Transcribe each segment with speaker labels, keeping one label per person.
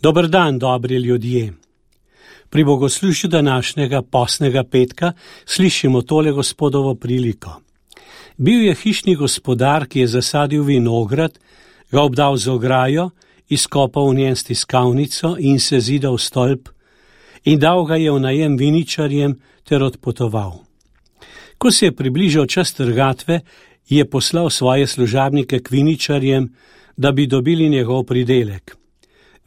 Speaker 1: Dober dan, dobri ljudje. Pri bogoslužju današnjega postnega petka slišimo tole Gospodovo priliko. Bil je hišni gospodar, ki je zasadil vinograd, ga obdal z ograjo, izkopal v njen stiskavnico in se zidal stolp in dal ga je v najem viničarjem ter odpotoval. Ko se je približal čas trgatve, je poslal svoje služabnike k viničarjem, da bi dobili njegov pridelek.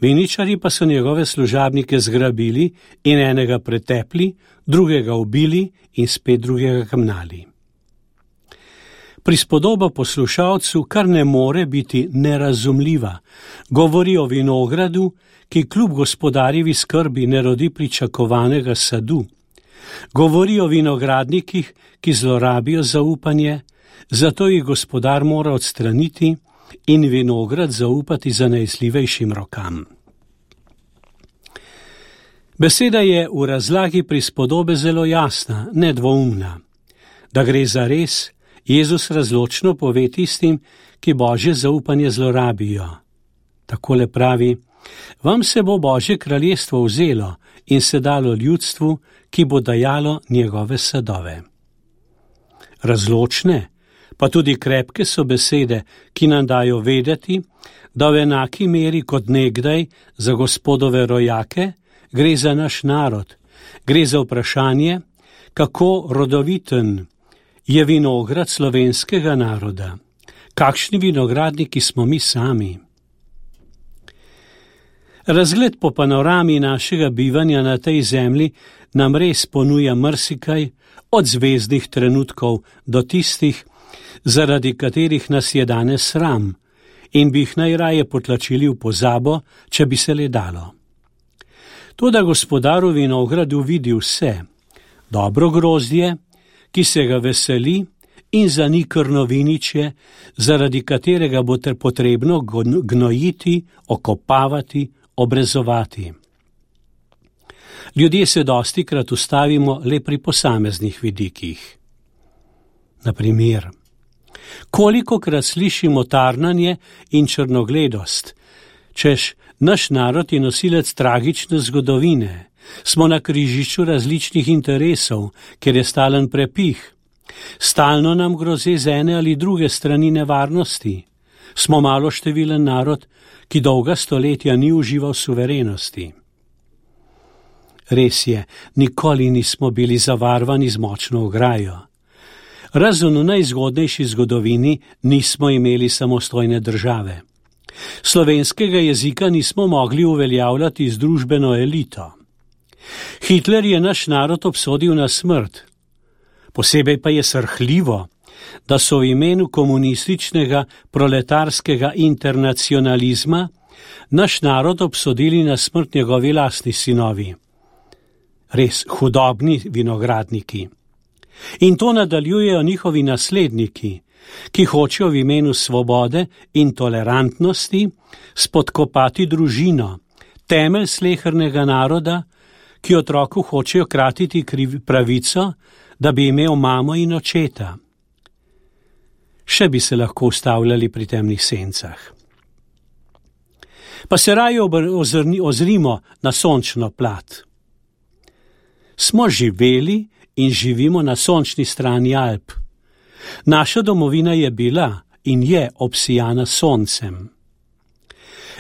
Speaker 1: Viničarji pa so njegove služabnike zgrabili in enega pretepli, drugega ubili in spet drugega kamnali. Prispodoba poslušalcu kar ne more biti nerazumljiva. Govori o vinogradu, ki kljub gospodarjevi skrbi ne rodi pričakovanega sadu. Govori o vinogradnikih, ki zlorabijo zaupanje, zato jih gospodar mora odstraniti in vinograd zaupati zanesljivejšim rokam. Beseda je v razlagi prispodobe zelo jasna, nedvoumna. Da gre za res, Jezus razločno pove tistim, ki Božje zaupanje zlorabijo. Takole pravi: vam se bo Božje kraljestvo vzelo in se dalo ljudstvu, ki bo dajalo njegove sadove. Razločne, pa tudi krepke so besede, ki nam dajo vedeti, da v enaki meri kot nekdaj za Gospodove rojake gre za naš narod, gre za vprašanje, kako rodoviten je vinograd slovenskega naroda, kakšni vinogradniki smo mi sami. Razgled po panorami našega bivanja na tej zemlji nam res ponuja marsikaj, od zvezdnih trenutkov do tistih, zaradi katerih nas je danes sram in bi jih najraje potlačili v pozabo, če bi se le dalo. Toda gospodar v vinogradu vidi vse, dobro grozdje, ki se ga veseli, in zanikrno viničje, zaradi katerega bo potrebno gnojiti, okopavati, obrezovati. Ljudje se dostikrat ustavimo le pri posameznih vidikih. Na primer, kolikokrat slišimo tarnanje in črnogledost, češ naš narod je nosilec tragične zgodovine, smo na križišču različnih interesov, ker je stalen prepih. Stalno nam grozi z ene ali druge strani nevarnosti. Smo maloštevilen narod, ki dolga stoletja ni užival suverenosti. Res je, nikoli nismo bili zavarvani z močno ograjo. Razen v najzgodnejši zgodovini nismo imeli samostojne države. Slovenskega jezika nismo mogli uveljavljati z družbeno elito. Hitler je naš narod obsodil na smrt. Posebej pa je srhljivo, da so v imenu komunističnega proletarskega internacionalizma naš narod obsodili na smrt njegovi lastni sinovi. Res hudobni vinogradniki. In to nadaljujejo njihovi nasledniki, ki hočejo v imenu svobode in tolerantnosti spodkopati družino, temelj slehernega naroda, ki otroku hočejo kratiti pravico, da bi imel mamo in očeta. Še bi se lahko ustavljali pri temnih sencah. Pa se raje ozrimo na sončno plat. Smo živeli in živimo na sončni strani Alp. Naša domovina je bila in je obsijana soncem.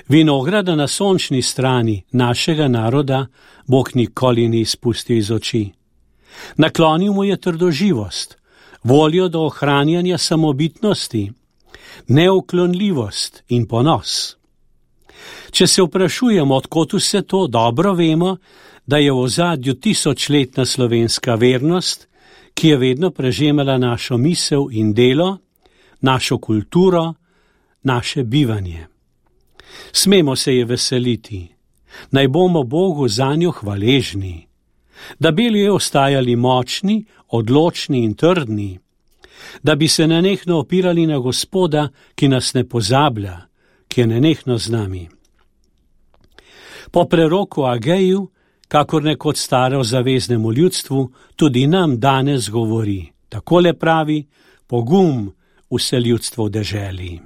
Speaker 1: Vinograda na sončni strani našega naroda Bog nikoli ni izpustil iz oči. Naklonil mu je trdoživost, voljo do ohranjanja samobitnosti, neuklonljivost in ponos. Če se vprašujemo, odkot vse to, dobro vemo, da je v ozadju tisočletna slovenska vernost, ki je vedno prežemala našo misel in delo, našo kulturo, naše bivanje. Smemo se je veseliti, naj bomo Bogu zanjo hvaležni, da bi ljudje ostajali močni, odločni in trdni, da bi se nenehno opirali na Gospoda, ki nas ne pozablja, ki je nenehno z nami. Po preroku Ageju, kakor nekoč staro zaveznemu ljudstvu, tudi nam danes govori. Takole pravi: pogum vse ljudstvo v deželi.